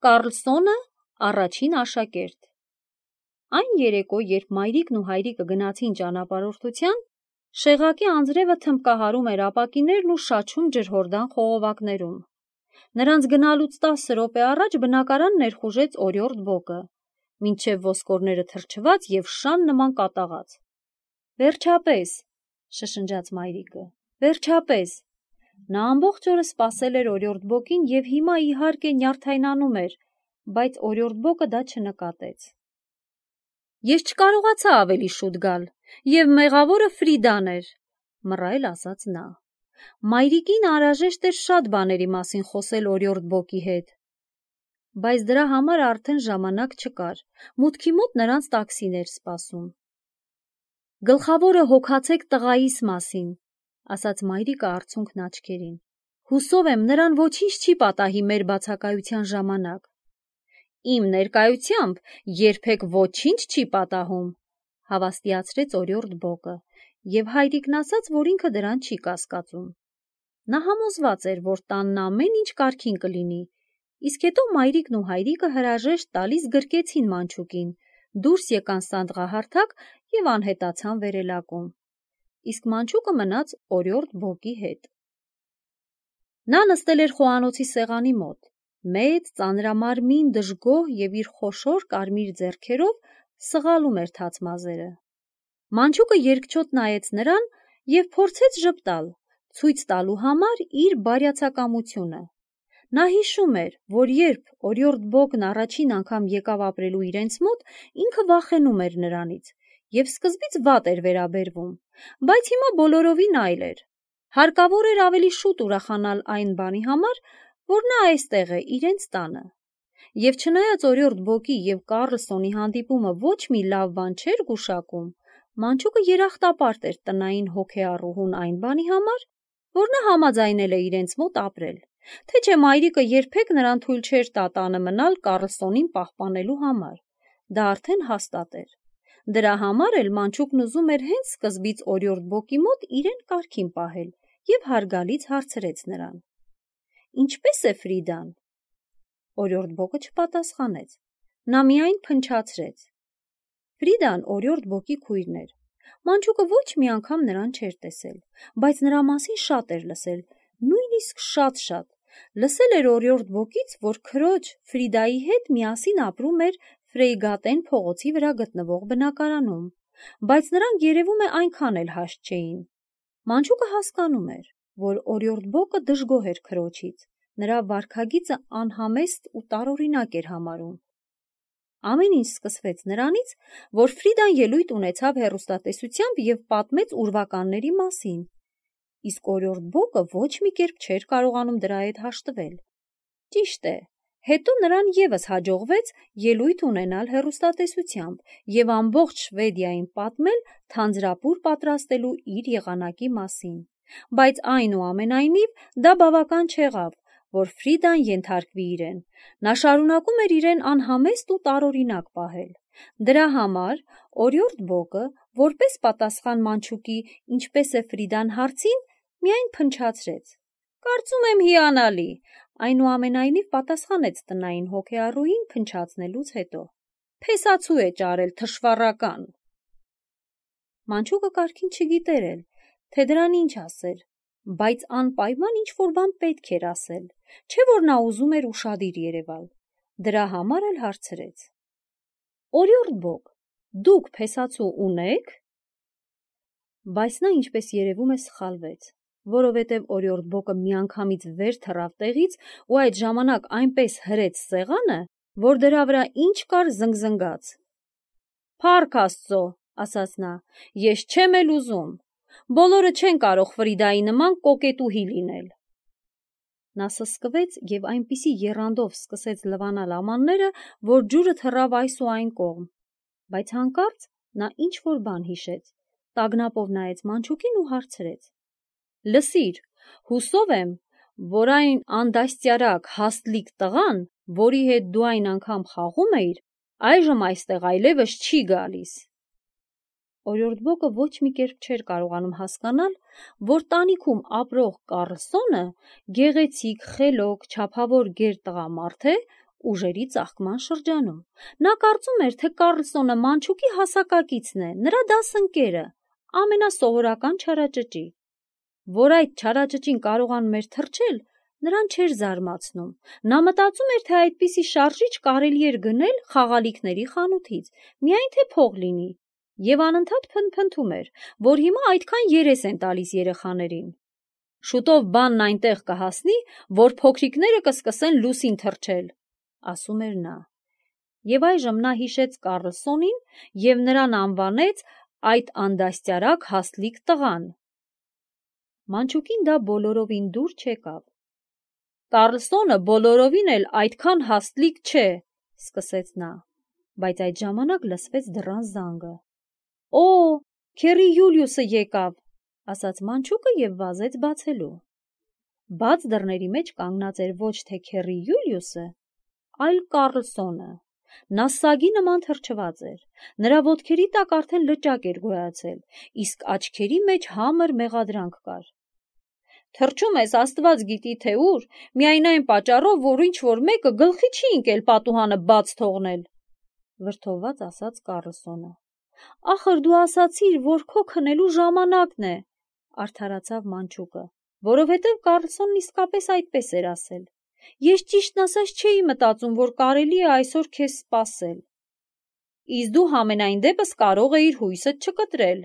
Կառլսոնը առաջին աշակերտ։ Այն երեկո, երբ մայրիկն ու հայրիկը գնացին ճանապարհորդության, Շեղակի անձրևը թմբկահարում էր ապակիներն ու շաչում ջրհորդան խողովակներում։ Նրանց գնալուց 10 րոպե առաջ բնակարան ներխուժեց օրիորդ բոկը, մինչև ոսկորները թրջված և շան նման կատաղած։ Վերջապես, շշնջաց մայրիկը, վերջապես։ Նա ամբողջ օրը սպասել էր օրիորդ բոկին և հիմա իհարկե նյարդայնանում էր, բայց օրիորդ բոկը դա չնկատեց։ Ես չկարողացա ավելի շուտ գալ, և մեղավորը Ֆրիդան էր, մռայլ ասաց նա։ Մայրիկին անհրաժեշտ էր շատ բաների մասին խոսել օրիորդ բոկի հետ, բայց դրա համար արդեն ժամանակ չկար, մուտքի մոտ նրանց տաքսին էր սպասում։ Գլխավորը հոգացեք տղայիս մասին, ասաց մայրիկը արցունքն աչքերին։ Հուսով եմ, նրան ոչինչ չի պատահի մեր բացակայության ժամանակ։ Իմ ներկայությամբ երբեք ոչինչ չի պատահում, հավաստիացրեց օրիորդ բոկը, և հայրիկն ասաց, որ ինքը դրան չի կասկածում։ Նա համոզված էր, որ տանն ամեն ինչ կարգին կլինի, իսկ հետո մայրիկն ու հայրիկը հրաժեշտ տալիս գրկեցին մանչուկին, դուրս եկան սանդղահարթակ և անհետացան վերելակում, իսկ մանչուկը մնաց օրիորդ բոկի հետ։ Նա նստել էր խոհանոցի սեղանի մոտ, մեծ, ծանրամարմին, դժգոհ և իր խոշոր կարմիր ձեռքերով սղալում էր թաց մազերը։ Մանչուկը երկչոտ նայեց նրան և փորձեց ժպտալ, ցույց տալու համար իր բարյացակամությունը։ Նա հիշում էր, որ երբ օրիորդ բոկն առաջին անգամ եկավ ապրելու իրենց մոտ, ինքը վախենում էր նրանից և սկզբից վատ էր վերաբերվում, բայց հիմա բոլորովին այլ էր։ Հարկավոր էր ավելի շուտ ուրախանալ այն բանի համար, որ նա այստեղ է, իրենց տանը։ Եվ չնայած օրիորդ բոկի և Կառլսոնի հանդիպումը ոչ մի լավ բան չէր գուշակում, մանչուկը երախտապարտ էր տնային հոգեառուհուն այն բանի համար, որ նա համաձայնել է իրենց մոտ ապրել, թե չէ մայրիկը երբեք նրան թույլ չէր տա տանը մնալ Կառլսոնին պահպանելու համար։ Դա արդեն հաստատ էր։ Դրա համար էլ մանչուկն ուզում էր հենց սկզբից օրիորդ բոկի մոտ իրեն կարգին պահել և հարգալից հարցրեց նրան. Ինչպե՞ս է Ֆրիդան։ Օրիորդ բոկը չպատասխանեց։ Նա միայն փնչացրեց։ Ֆրիդան օրիորդ բոկի քույրն էր։ Մանչուկը ոչ մի անգամ նրան չէր տեսել, բայց նրա մասին շատ էր լսել, նույնիսկ շատ։ Լսել էր օրիորդ բոկից, որ քրոջ Ֆրիդայի հետ միասին ապրում էր Ֆրեյգատեն փողոցի վրա գտնվող բնակարանում, բայց նրանք երևում է այնքան էլ հաշտ չէին։ Մանչուկը հասկանում էր, որ օրիորդ բոկը դժգոհ էր քրոջից, նրա վարքագիծը անհամեստ ու տարօրինակ էր համարում։ Ամեն ինչ սկսվեց նրանից, որ Ֆրիդան ելույթ ունեցավ հեռուստատեսությամբ և պատմեց ուրվականների մասին, իսկ օրիորդ բոկը ոչ մի կերպ չէր կարողանում դրա հետ հաշտվել։ Ճիշտ է, հետո նրան ևս հաջողվեց ելույթ ունենալ հեռուստատեսությամբ և ամբողջ Շվեդիային պատմել թանձրապուր պատրաստելու իր եղանակի մասին, բայց այնուամենայնիվ դա բավական չեղավ, որ Ֆրիդան ենթարկվի իրեն։ Նա շարունակում էր իրեն անհամեստ ու տարօրինակ պահել։ Դրա համար օրիորդ բոկը, որպես պատասխան մանչուկի ինչպես է Ֆրիդան հարցին, միայն փնչացրեց։ Կարծում եմ հիանալի, այնուամենայնիվ պատասխանեց տնային հոգեառուհին փնչացնելուց հետո։ Փեսացու է ճարել, թշվառական։ Մանչուկը կարգին չգիտեր էլ, թե դրան ինչ ասեր, բայց անպայման ինչ-որ բան պետք էր ասել, չէ՞ որ նա ուզում էր ուշադիր երևալ։ Դրա համար էլ հարցրեց. Օրիորդ բոկ, դուք փեսացու ունե՞ք։ Բայց նա, ինչպես երևում է, սխալվեց, որովհետև օրիորդ բոկը միանգամից վեր թռավ տեղից ու այդ ժամանակ այնպես հրեց սեղանը, որ դրա վրա ինչ կար զնգզնգաց։ Փառք Աստծո, ասաց նա, ես չեմ էլ ուզում։ Բոլորը չեն կարող Ֆրիդայի նման կոկետուհի լինել։ Նա սսկվեց և այնպիսի եռանդով սկսեց լվանալ ամանները, որ ջուրը թռավ այս ու այն կողմ, բայց հանկարծ նա ինչ-որ բան հիշեց, տագնապով նայեց մանչուկին ու հարցրեց. Լսիր, հուսով եմ, որ այն անդաստիարակ հաստլիկ տղան, որի հետ դու այն անգամ խաղում էիր, այժմ այստեղ այլևս չի գալիս։ Օրիորդ բոկը ոչ մի կերպ չէր կարողանում հասկանալ, որ տանիքում ապրող Կառլսոնը գեղեցիկ, խելոք, չափավոր գեր տղամարդ է ուժերի ծաղկման շրջանում։ Նա կարծում էր, թե Կարլսոնը Մանչուկի հասակակիցն է, նրա դասընկերը, ամենասովորական չարաճճի։ Որ այդ չարաճճին կարողանում էր թռչել, նրան չէր զարմացնում։ Նա մտածում էր, թե այդպիսի շարժիչ կարելի էր գնել խաղալիքների խանութից, միայն թե փող լինի, եւ անընդհատ փնփնթում էր, որ հիմա այդքան երես են տալիս երեխաներին։ Շուտով բանն այնտեղ կհասնի, որ փոքրիկները կսկսեն լուսին թռչել, ասում էր նա։ Եվ այժմ նա հիշեց Կարլսոնին եւ նրան անվանեց այդ անդաստիարակ հաստլիկ տղան։ Մանչուկին դա բոլորովին դուր չեկավ։ Կարլսոնը բոլորովին էլ այդքան հաստլիկ չէ, սկսեց նա, բայց այդ ժամանակ լսվեց դռան զանգը։ Օ, քերի Յուլիուսը եկավ, ասաց Մանչուկը եւ վազեց բացելու։ Բաց դռների մեջ կանգնած էր ոչ թե քերի Յուլիուսը, այլ Կարլսոնը։ Նա սագի նման թրջված էր, նրա ոտքերի տակ արդեն լճակ էր գոյացել, իսկ աչքերի մեջ համր մեղադրանք կար։ Թրջում ես Աստված գիտի թե ուր, միայն այն պատճառով, որ ինչ-որ մեկը գլխի չի ընկել պատուհանը բաց թողնել, վրդովված ասաց Կարլսոնը։ Ախր դու ասացիր, որ քո քնելու ժամանակն է, արդարացավ Մանչուկը, որովհետև Կարլսոնն իսկապես այդպես էր ասել։ Ես ճիշտն ասած չէի մտածում, որ կարելի է այսօր քեզ սպասել։ Իսկ դու համենայն դեպս կարող էիր հույսդ չկտրել,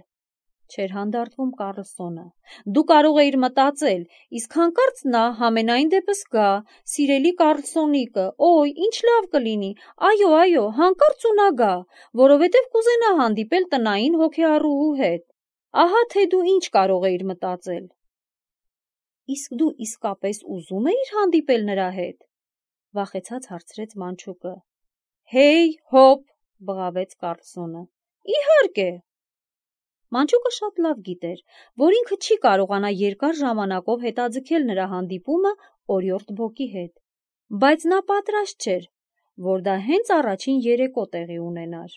չէր հանդարտվում Կարլսոնը։ Դու կարող էիր մտածել, իսկ հանկարծ նա համենայն դեպս գա, սիրելի Կարլսոնիկը, օй, ինչ լավ կլինի, այո, հանկարծ ու նա գա, որովհետև կուզենա հանդիպել տնային հոգեառուհու հետ։ Ահա թե դու ինչ կարող էիր մտածել։ Իսկ դու իսկապես ուզում էիր հանդիպել նրա հետ, վախեցած հարցրեց Մանչուկը։ Հեյ, հոп, բղավեց Կարլսոնը։ Իհարկե։ Մանչուկը շատ լավ գիտեր, որ ինքը չի կարողանա երկար ժամանակով հետաձգել նրա հանդիպումը օրիորդ Բոկի հետ, բայց նա պատրաստ չէր, որ դա հենց առաջին երեկո տեղի ունենար։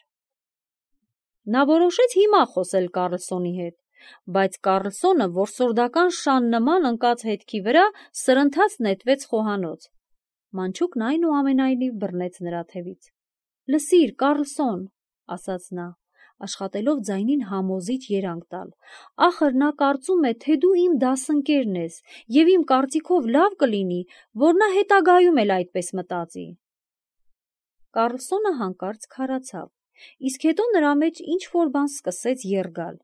Նա որոշեց հիմա խոսել Կարլսոնի հետ, բայց Կարլսոնը որսորդական շան նման ընկած հետքի վրա սրընթաց նետվեց խոհանոց։ Մանչուկն այնուամենայնիվ բռնեց նրա թևից։ Լսիր, Կարլսոն, ասաց նա, աշխատելով ձայնին համոզիչ երանգ տալ, ախր նա կարծում է, թե դու իմ դասընկերն ես, եւ իմ կարծիքով լավ կլինի, որ նա հետագայում էլ այդպես մտածի։ Կարլսոնը հանկարծ քարացավ, իսկ հետո նրա մեջ ինչ-որ բան սկսեց երջալ,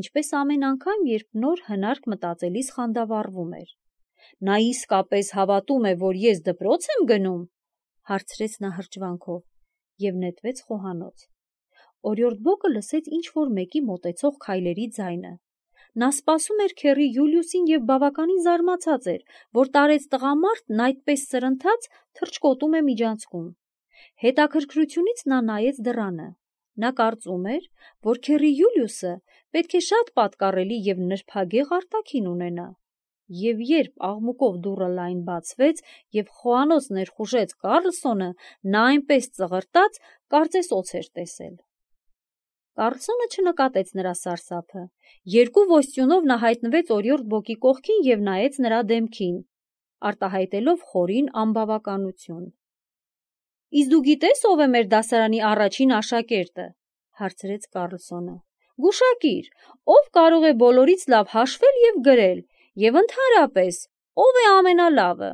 ինչպես ամեն անգամ, երբ նոր հնարք մտածելիս խանդավառվում էր։ Նա իսկապես հավատում է, որ ես դպրոց եմ գնում, հարցրեց նա հրճվանքով եւ նետվեց խոհանոց։ Օրիորդ Բոկը լսեց ինչ-որ մեկի մոտեցող քայլերի ձայնը։ Նա սպասում էր քերի Յուլիուսին եւ բավականին զարմացած էր, որ տարեց տղամարդն այդպես սրընթաց թռչկոտում է միջանցքում։ Հետաքրքրությունից նա նայեց դռանը։ Նա կարծում էր, որ քերի Յուլիուսը պետք է շատ պատկառելի եւ նրբագեղ արտաքին ունենա։ Եվ երբ աղմուկով դուռը լայն բացվեց եւ խոհանոց ներխուժեց Կարլսոնը, նա այնպես ծղրտաց, կարծես օձ էր տեսել։ Կարլսոնը չնկատեց նրա սարսափը։ Երկու ոստյունով նա հայտնվեց օրիորդ Բոկի կողքին եւ նայեց նրա դեմքին, արտահայտելով խորին անբավականություն։ Իսկ դու գիտես ով է մեր դասարանի առաջին աշակերտը, հարցրեց Կարլսոնը։ Գուշակիր, ով կարող է բոլորից լավ հաշվել եւ գրել, եւ ընդհանրապես, ով է ամենալավը։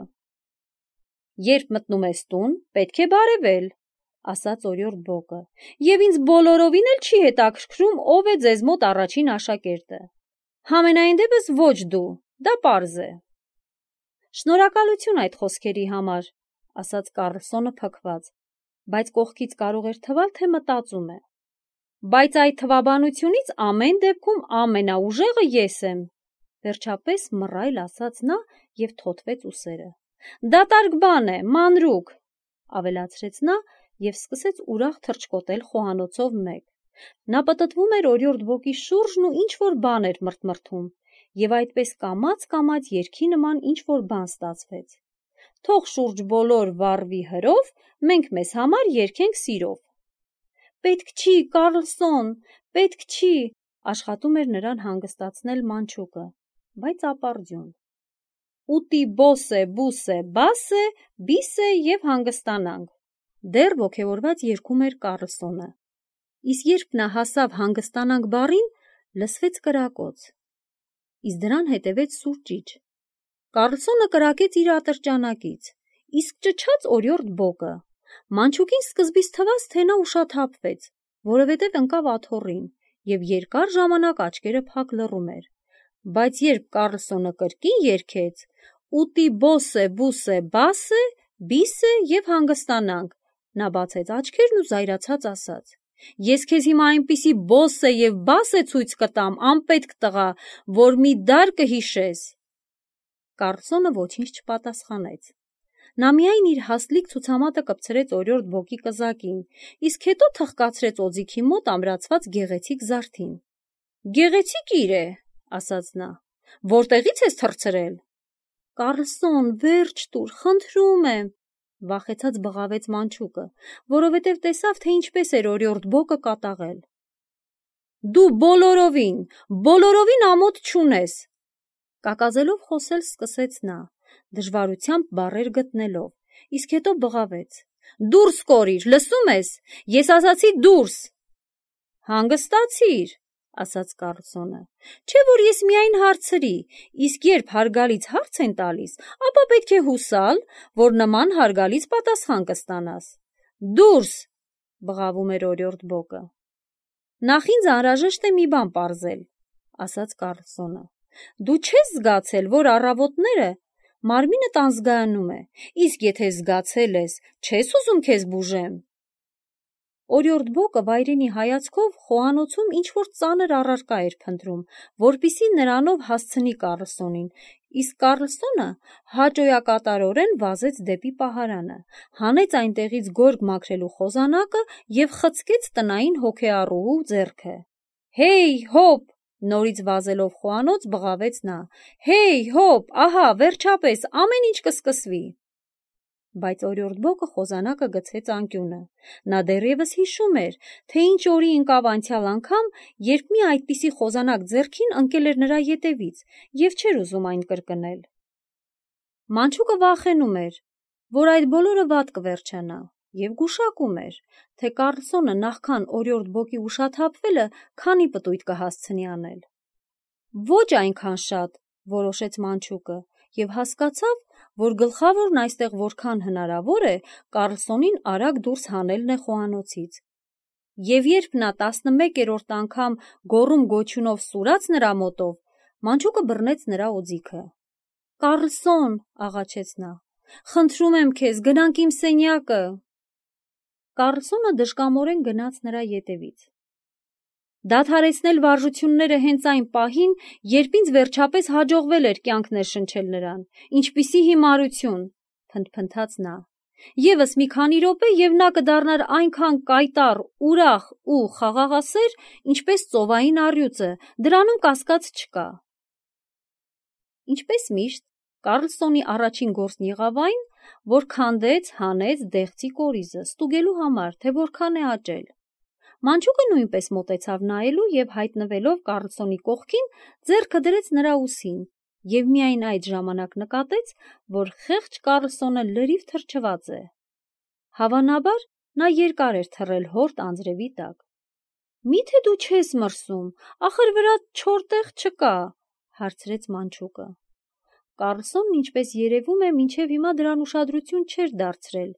Երբ մտնում ես տուն, պետք է բարևել, ասաց օրիորդ Բոկը, եւ ինձ բոլորովին էլ չի հետաքրքրում, ով է ձեզ մոտ առաջին աշակերտը։ Համենայն դեպս ոչ դու, դա պարզ է։ Շնորհակալություն այդ խոսքերի համար, ասաց Կարլսոնը փքված, բայց կողքից կարող էր թվալ, թե մտածում է։ Բայց այդ թվաբանությունից ամեն դեպքում ամենաուժեղը ես եմ, վերջապես մռայլ ասաց նա եւ թոթվեց ուսերը։ Դատարկ բան է, մանրուք, ավելացրեց նա եւ սկսեց ուրախ թռչկոտել խոհանոցով մեկ։ Նա պտտվում էր օրիորդ Բոկի շուրջն ու ինչ-որ բան էր մրթմրթում, եւ այդպես կամաց երգի նման ինչ-որ բան ստացվեց։ Թող շուրջ բոլոր վառվի հրով, մենք մեզ համար երգենք սիրով։ Պետք չի, Կարլսոն, պետք չի, աշխատում էր նրան հանգստացնել Մանչուկը, բայց ապարդյուն։ ուտի բոսե, բուսե, բասե, բիսե և հանգստանանք։ Դեռ ոգևորված երգում էր Կառլսոնը։ Իսկ երբ նա հասավ հանգստանանք բառին, լսվեց կրակոց։ Իսկ դրան հետևեց սուր ճիչ։ Կառլսոնը կրակեց իր ատրճանակից, իսկ ճչաց օրիորդ բոկը։ Մանչուկին սկզբից թվաց, թե նա ուշաթափվեց, որովհետև ընկավ աթոռին և երկար ժամանակ աչքերը փակ լռում էր։ Բայց երբ Կառլսոնը կրկին երգեց. «Ուտի բոսե, բուսե, բասե, բիսե և հանգստանանք», նա բացեց աչքերն ու զայրացած ասաց. «Ես քեզ հիմա այնպիսի բոսե և բասե ցույց կտամ, անպետք տղա, որ մի դար կհիշես»։ Կառլսոնը ոչինչ չպատասխանեց։ Նա միայն իր հաստլիկ ցուցամատը կպցրեց օրիորդ բոկի կզակին, իսկ հետո թխկացրեց օձիքի մոտ ամրացված գեղեցիկ զարդին։ «Գեղեցիկ է», ասաց նա։ «Որտեղից ես թռցրել»։ «Կառլսոն, վերջ տուր, խնդրում եմ», վախեցած բղավեց մանչուկը, որովհետև տեսավ, թե ինչպես էր օրիորդ բոկը կատաղել։ «Դու բոլորովին ամոթ չունես», կակազելով խոսել սկսեց նա, դժվարությամբ բառեր գտնելով, իսկ հետո բղավեց. «Դուրս կորիր, լսում ես, ես ասացի դուրս»։ «Հանգստացիր», ասաց Կառլսոնը, «չէ՞ որ ես միայն հարցրի, իսկ երբ հարգալից հարց են տալիս, ապա պետք է հուսալ, որ նման հարգալից պատասխան կստանաս»։ «Դուրս», բղավում էր օրիորդ բոկը։ «Նախ ինձ անհրաժեշտ է մի բան պարզել», ասաց Կառլսոնը։ «Դու չես զգացել, որ առավոտները մարմինդ անզգայանում է, իսկ եթե զգացել ես, չես ուզում քեզ բուժեմ»։ Օրիորդ բոկը վայրենի հայացքով խոհանոցում ինչ-որ ծանր առարկա էր փնտրում, որպեսզի նրանով հասցնի Կառլսոնին, իսկ Կառլսոնը հաճոյակատարորեն վազեց դեպի պահարանը, հանեց այնտեղից գորգ մաքրելու խոզանակը և խցկեց տնային հոգեառուհու ձեռքը։ «Հեյ, հոպ», նորից վազելով խոհանոց բղավեց նա, «Հեյ, հոպ, ահա, վերջապես, ամեն ինչ կսկսվի»։ Բայց օրիորդ բոկը խոզանակը գցեց անկյունը։ Նա դեռևս հիշում էր, թե ինչ օրի ընկավ անցյալ անգամ, երբ մի այդպիսի խոզանակ ձեռքին ընկել էր նրա ետևից և չէր ուզում այն կրկնել։ Մանչուկը վախենում էր, որ այդ բոլորը վատ կվերջանա, և գուշակում էր, թե Կառլսոնը նախքան օրիորդ բոկի ուշաթափվելը քանի պտույտ կհասցնի անել։ «Ոչ այնքան շատ», որոշեց մանչուկը և հասկացավ, որ գլխավորն այստեղ որքան հնարավոր է Կառլսոնին արագ դուրս հանելն է խոհանոցից։ Եվ երբ նա 11-րդ անգամ գոռում-գոչյունով սուրաց նրա մոտով, մանչուկը բռնեց նրա օձիքը։ «Կառլսոն», աղաչեց նա, «խնդրում եմ քեզ, գնանք իմ սենյակը»։ Կառլսոնը դժկամորեն գնաց նրա ետևից։ «Դադարեցնել վարժությունները հենց այն պահին, երբ ինձ վերջապես հաջողվել էր կյանք ներշնչել նրան, ինչպիսի հիմարություն», փնթփնթաց նա։ «Եվս մի քանի րոպե, և նա կդառնար այնքան կայտառ, ուրախ ու խաղաղասեր, ինչպես ծովային առյուծը, դրանում կասկած չկա»։ Ինչպես միշտ, Կառլսոնի առաջին գործն եղավ այն, որ քանդեց, հանեց դեղցի կորիզը, ստուգելու համար, թե որքան է աճել։ Մանչուկը նույնպես մոտեցավ նայելու և հայտնվելով Կառլսոնի կողքին, ձեռքը դրեց նրա ուսին և միայն այդ ժամանակ նկատեց, որ խեղճ Կառլսոնը լրիվ թրջված է։ Հավանաբար նա երկար էր թռել հորդ անձրևի տակ։ «Մի՞թե դու չես մրսում, ախր վրադ չոր տեղ չկա», հարցրեց մանչուկը։ Կառլսոնն, ինչպես երևում է, մինչև հիմա դրան ուշադրություն չէր դարձրել,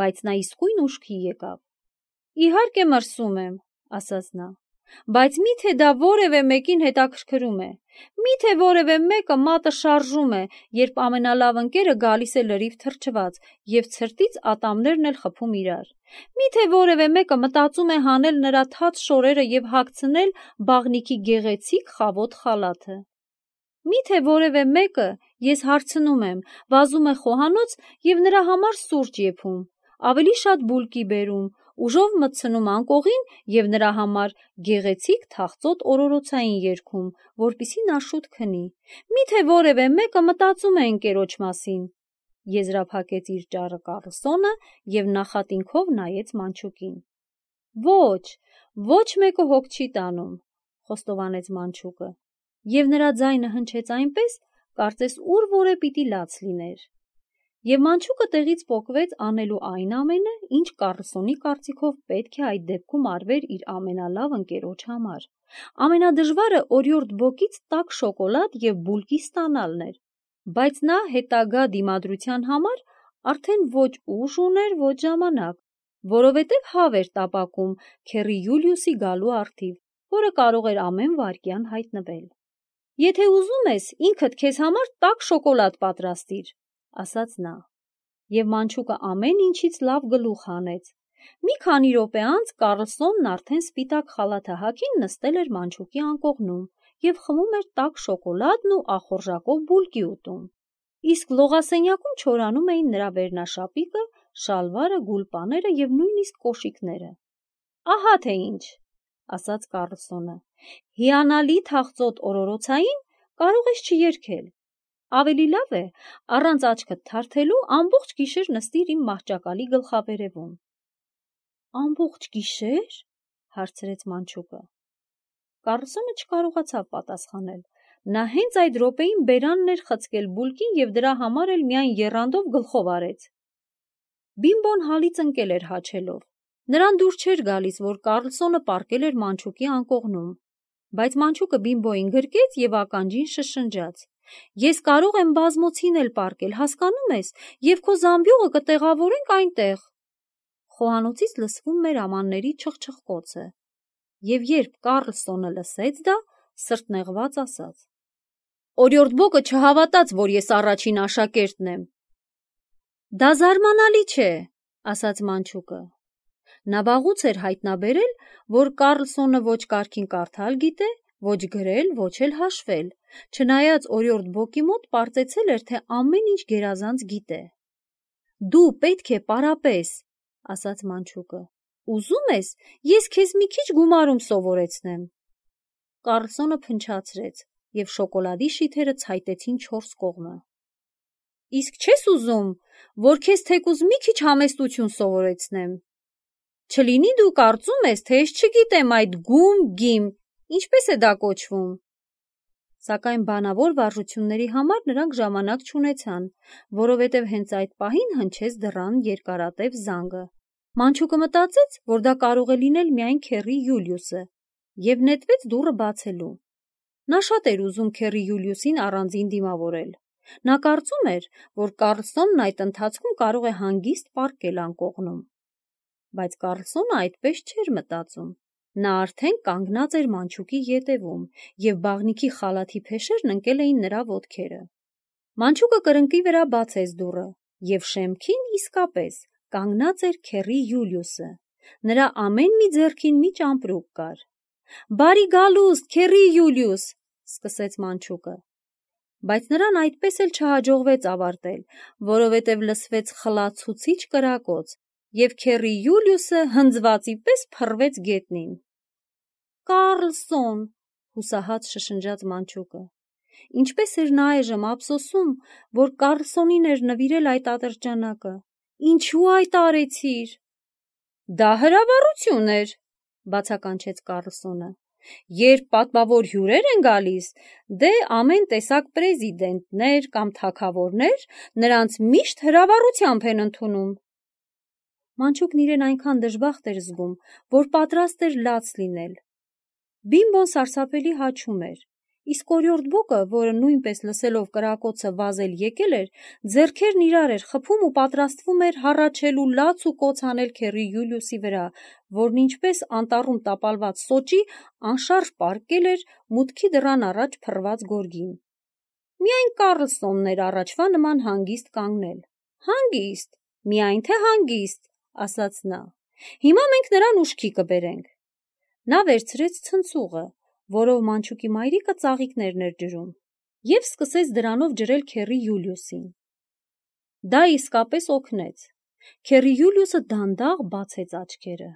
բայց նա իսկույն ուշքի եկավ։ «Իհարկե մրսում եմ», ասաց նա, «բայց մի՞թե դա որևէ մեկին հետաքրքրում է։ Մի՞թե որևէ մեկը մատը շարժում է, երբ ամենալավ ընկերը գալիս է լրիվ թրջված և ցրտից ատամներն էլ խփում իրար։ Մի՞թե որևէ մեկը մտածում է հանել նրա թաց շորերը և հագցնել բաղնիքի գեղեցիկ խավոտ խալաթը։ Մի՞թե որևէ մեկը, ես հարցնում եմ, վազում է խոհանոց և նրա համար սուրճ եփում, ավելի շատ բուլկի բերում, ուժով մտցնում անկողին և նրա համար գեղեցիկ թախծոտ օրորոցային երգում, որպեսզի նա շուտ քնի։ Մի՞թե որևէ մեկը մտածում է ընկերոջ մասին։ Եզրափակեց իր ճառը Կառլսոնը և նախատինքով նայեց մանչուկին։ «Ոչ, ոչ մեկը հոգ չի տանում», խոստովանեց մանչուկը, և նրա ձայնը հնչեց այնպես, կարծես ուր որե պիտի լաց լիներ։ Եվ մանչուկը տեղից պոկվեց անելու այն ամենը, ինչ Կառլսոնի կարծիքով պետք է այդ դեպքում արվեր իր ամենալավ ընկերոջ համար։ Ամենադժվարը օրիորդ բոկից տաք շոկոլադ և բուլկի ստանալն էր, բայց նա հետագա դիմադրության համար արդեն ոչ ուժ ուներ, ոչ ժամանակ, որովհետև հավ էր տապակում քեռի Յուլիուսի գալու առթիվ, որը կարող էր ամեն վայրկյան հայտնվել։ «Եթե ուզում ես, ինքդ քեզ համար տաք շոկոլադ պատրաստիր», ասաց նա, և մանչուկը ամեն ինչից լավ գլուխ հանեց։ Մի քանի րոպե անց Կառլսոնն արդեն սպիտակ խալաթահակին նստել էր մանչուկի անկողնում և խմում էր տաք շոկոլադն ու ախորժակով բուլկի ուտում, իսկ լողասենյակում չորանում էին նրա վերնաշապիկը, շալվարը, գուլպաները և նույնիսկ կոշիկները։ «Ահա թե ինչ», ասաց Կառլսոնը, «հիանալի թախծոտ օրորոցային կարող ես չերգել։ Ավելի լավ է, առանց աչքդ թարթելու ամբողջ գիշեր նստիր իմ մահճակալի գլխավերևում»։ «Ամբողջ գիշե՞ր», հարցրեց մանչուկը։ Կառլսոնը չկարողացավ պատասխանել։ Նա հենց այդ րոպեին բերանն էր խցկել բուլկին և դրա համար էլ միայն եռանդով գլխով արեց։ Բիմբոն հալից ընկել էր հաչելով։ Նրան դուր չէր գալիս, որ Կառլսոնը պառկել էր մանչուկի անկողնում, բայց մանչուկը Բիմբոյին գրկեց և ականջին շշնջաց. «Ես կարող եմ բազմոցին էլ պառկել, հասկանում ես, և քո զամբյուղը կտեղավորենք այնտեղ»։ Խոհանոցից լսվում էր ամանների չխչխկոցը, և երբ Կառլսոնը լսեց դա, սրտնեղված ասաց. «Օրիորդ Բոկը չհավատաց, որ ես առաջին աշակերտն եմ»։ «Դա զարմանալի չէ», ասաց մանչուկը։ Նա վաղուց էր հայտնաբերել, որ Կառլսոնը ոչ կարգին կարդալ գիտե, ոչ գրել, ոչ էլ հաշվել, չնայած օրիորդ Բոկի մոտ պարծեցել էր, թե ամեն ինչ գերազանց գիտե։ «Դու պետք է պարապես», ասաց մանչուկը։ «Ուզում ես, ես քեզ մի քիչ գումարում սովորեցնեմ»։ Կառլսոնը փնչացրեց, և շոկոլադի շիթերը ցայտեցին չորս կողմը։ «Իսկ չես ուզում, որ քեզ թեկուզ մի քիչ համեստություն սովորեցնեմ։ Չլինի դու կարծում ես, թե ես չգիտեմ այդ գում-գիմ, ինչպես է դա կոչվում»։ Սակայն բանավոր վարժությունների համար նրանք ժամանակ չունեցան, որովհետև հենց այդ պահին հնչեց դռան երկարատև զանգը։ Մանչուկը մտածեց, որ դա կարող է լինել միայն քեռի Յուլիուսը, և նետվեց դուռը բացելու։ Նա շատ էր ուզում քեռի Յուլիուսին առանձին դիմավորել։ Նա կարծում էր, որ Կառլսոնն այդ ընթացքում կարող է հանգիստ պառկել անկողնում։ Բայց Կառլսոնը այդպես չէր մտածում։ Նա արդեն կանգնած էր մանչուկի ետևում, և բաղնիքի խալաթի փեշերն ընկել էին նրա ոտքերը։ Մանչուկը կրկնակի վրա բացեց դուռը, և շեմքին իսկապես կանգնած էր քեռի Յուլիուսը։ Նրա ամեն մի ձեռքին մի ճամպրուկ կար։ «Բարի գալուստ, քեռի Յուլիուս», սկսեց մանչուկը։ Բայց նրան այդպես էլ չհաջողվեց ավարտել, որովհետև լսվեց խլացուցիչ կրակոց, և քեռի Յուլիուսը հնձվածի պես փռվեց գետնին։ «Կառլսոն», հուսահատ շշնջաց մանչուկը։ Ինչպես էր նա այժմ ափսոսում, որ Կառլսոնին էր նվիրել այդ ատրճանակը։ «Ինչու այդ արեցիր»։ «Դա հրավառություն էր», բացականչեց Կառլսոնը։ «Երբ պատվավոր հյուրեր են գալիս, դե ամեն տեսակ պրեզիդենտներ կամ թագավորներ նրանց միշտ հրավառությամբ են ընդունում»։ Մանչուկն իրեն այնքան դժբախտ էր զգում, որ պատրաստ էր լաց լինել։ Բիմբոն սարսափելի հաչում էր, իսկ օրիորդ Բոկը, որը նույնպես լսելով կրակոցը վազել եկել էր, ձեռքերն իրար էր խփում ու պատրաստվում էր հառաչել ու լաց ու կոց անել քեռի Յուլիուսի վրա, որն ինչպես անտառում տապալված սոճի անշարժ պառկել էր մուտքի դռան առաջ փռված գորգին։ Միայն Կառլսոնն էր առաջվա նման հանգիստ կանգնել։ «Հանգիստ, միայն թե հանգիստ», ասաց նա։ «Հիմա մենք նրան ուշքի կբերենք»։ Նա վերցրեց ցնցուղը, որով մանչուկի մայրիկը ծաղիկներն էր ջրում, և սկսեց դրանով ջրել քեռի Յուլիուսին։ Դա իսկապես օգնեց։ Քեռի Յուլիուսը դանդաղ բացեց աչքերը։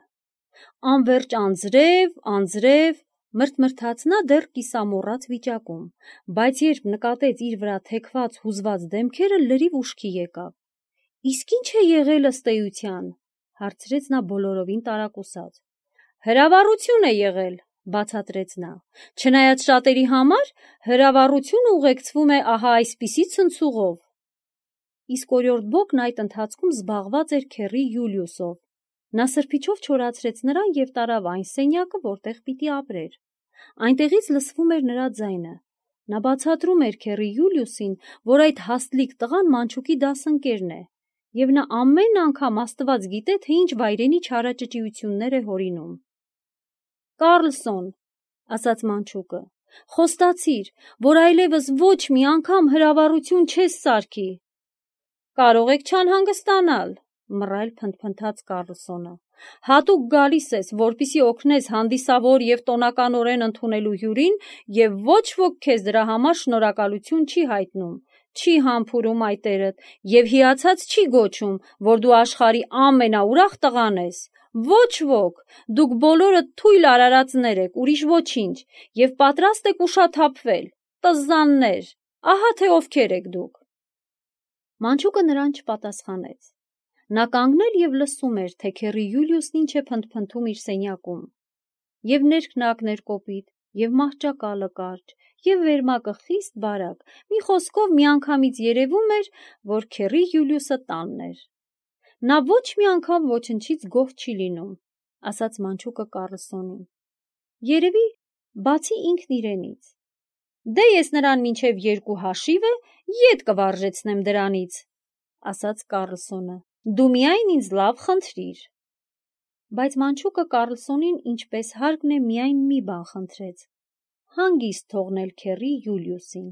«Անվերջ անձրև, անձրև», մրթմրթաց նա դեռ կիսամոռաց վիճակում, բայց երբ նկատեց իր վրա թեքված հուզված դեմքերը, լրիվ ուշքի եկավ։ «Իսկ ի՞նչ է եղել ըստ էության», հարցրեց նա բոլորովին տարակուսած։ «Հրավառություն է եղել», բացատրեց նա, չնայած շատերի համար հրավառությունը ուղեկցվում է ահա այսպիսի ցնցուղով։ Իսկ օրիորդ Բոկն այդ ընթացքում զբաղված էր քեռի Յուլիուսով։ Նա սրբիչով չորացրեց նրան և տարավ այն սենյակը, որտեղ պիտի ապրեր։ Այնտեղից լսվում էր նրա ձայնը։ Նա բացատրում էր քեռի Յուլիուսին, որ այդ հաստլիկ տղան Մանչուկի դասընկերն է, և նա ամեն անգամ Աստված գիտե, թե ինչ վայրենի չարաճճիություններ է հորինում։ «Կարլսոն», ասաց Մանչուկը, խոստացիր, որ այլևս ոչ մի անգամ հրավառություն չես սարքի։ «Կարող եք չանհանգստանալ», մռայլ փնթփնթաց Կարլսոնը։ «Հատուկ գալիս ես, որպեսզի օգնես հանդիսավոր և տոնականորեն ընդունելու հյուրին, և ոչ ոք քեզ դրա համար շնորհակալություն չի հայտնում, չի համբուրում այտերդ և հիացած չի գոչում, որ դու աշխարհի ամենաուրախ տղան ես։ Ոչ ոք, դուք բոլորդ թույլ արարածներ եք, ուրիշ ոչինչ, և պատրաստ եք ուշաթափվել, տզաններ, ահա թե ովքեր եք դուք»։ Մանչուկը նրան չպատասխանեց։ Նա կանգնել և լսում էր, թե քեռի Յուլիուսն ինչ է փնթփնթում իր սենյակում։ Եվ ներքնակն էր կոպիտ, և մահճակալը կարճ, և վերմակը խիստ բարակ, մի խոսքով միանգամից երևում էր, որ քեռի Յուլիուսը տանն էր։ «Նա ոչ մի անգամ ոչնչից գոհ չի լինում», ասաց Մանչուկը Կարլսոնին։ «Երևի, բացի ինքն իրենից։ Դե ես նրան մինչև 2 հաշիվը ետ կվարժեցնեմ դրանից», ասաց Կարլսոնը։ «Դու միայն ինձ լավ խնդրիր»։ Բայց Մանչուկը Կարլսոնին ինչպես հարկն է միայն մի բան խնդրեց՝ հանգիստ թողնել քեռի Յուլիուսին։